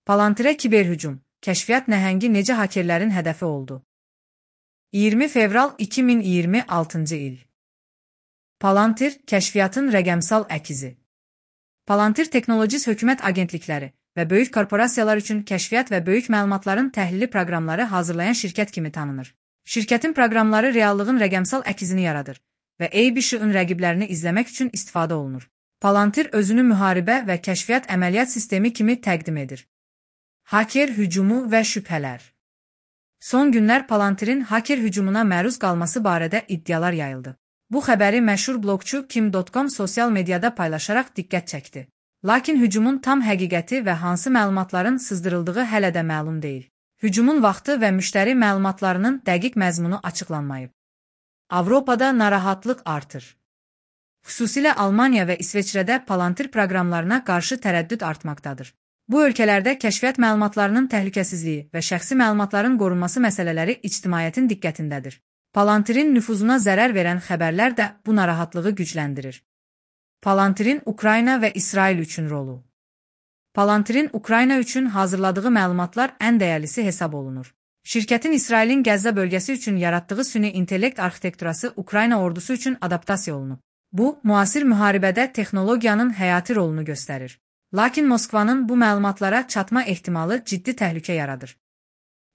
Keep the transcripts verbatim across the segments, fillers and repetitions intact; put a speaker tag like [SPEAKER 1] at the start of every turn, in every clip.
[SPEAKER 1] Palantirə kiberhücum, kəşfiyyat nəhəngi necə hakerlərin hədəfi oldu? iyirmi fevral iki min iyirmi altıncı il. Palantir, kəşfiyyatın rəqəmsal əkizi. Palantir Technologies hökumət agentlikləri və böyük korporasiyalar üçün kəşfiyyat və böyük məlumatların təhlili proqramları hazırlayan şirkət kimi tanınır. Şirkətin proqramları reallığın rəqəmsal əkizini yaradır və A B S-ın rəqiblərini izləmək üçün istifadə olunur. Palantir özünü müharibə və kəşfiyyat əməliyyat sistemi kimi təqdim edir. Haker hücumu və şübhələr. Son günlər Palantirin haker hücumuna məruz qalması barədə iddialar yayıldı. Bu xəbəri məşhur blogçu kim nöqtə com sosial mediada paylaşaraq diqqət çəkdi. Lakin hücumun tam həqiqəti və hansı məlumatların sızdırıldığı hələ də məlum deyil. Hücumun vaxtı və müştəri məlumatlarının dəqiq məzmunu açıqlanmayıb. Avropada narahatlıq artır. Xüsusilə Almaniya və İsveçrədə Palantir proqramlarına qarşı tərəddüd artmaqdadır. Bu ölkələrdə kəşfiyyat məlumatlarının təhlükəsizliyi və şəxsi məlumatların qorunması məsələləri ictimaiyyətin diqqətindədir. Palantirin nüfuzuna zərər verən xəbərlər də bu narahatlığı gücləndirir. Palantirin Ukrayna və İsrail üçün rolu. Palantirin Ukrayna üçün hazırladığı məlumatlar ən dəyərlisi hesab olunur. Şirkətin İsrailin Qəzza bölgəsi üçün yaratdığı süni intellekt arxitekturası Ukrayna ordusu üçün adaptasiya olunub. Bu, müasir müharibədə texnologiyanın həyati rolunu göstərir. Lakin Moskvanın bu məlumatlara çatma ehtimalı ciddi təhlükə yaradır.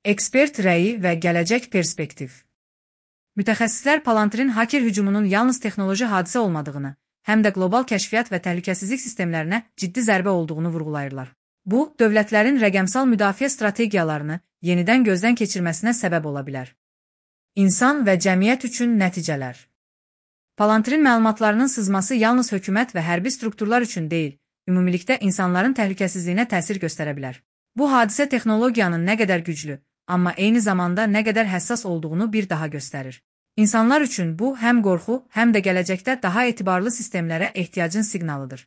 [SPEAKER 1] Ekspert rəyi və gələcək perspektiv. Mütəxəssislər Palantirin haker hücumunun yalnız texnoloji hadisə olmadığını, həm də qlobal kəşfiyyat və təhlükəsizlik sistemlərinə ciddi zərbə olduğunu vurğulayırlar. Bu, dövlətlərin rəqəmsal müdafiə strategiyalarını yenidən gözdən keçirməsinə səbəb ola bilər. İnsan və cəmiyyət üçün nəticələr. Palantirin məlumatlarının sızması yalnız hökumət və hərbi strukturlar üçün deyil, ümumilikdə insanların təhlükəsizliyinə təsir göstərə bilər. Bu hadisə texnologiyanın nə qədər güclü, amma eyni zamanda nə qədər həssas olduğunu bir daha göstərir. İnsanlar üçün bu həm qorxu, həm də gələcəkdə daha etibarlı sistemlərə ehtiyacın siqnalıdır.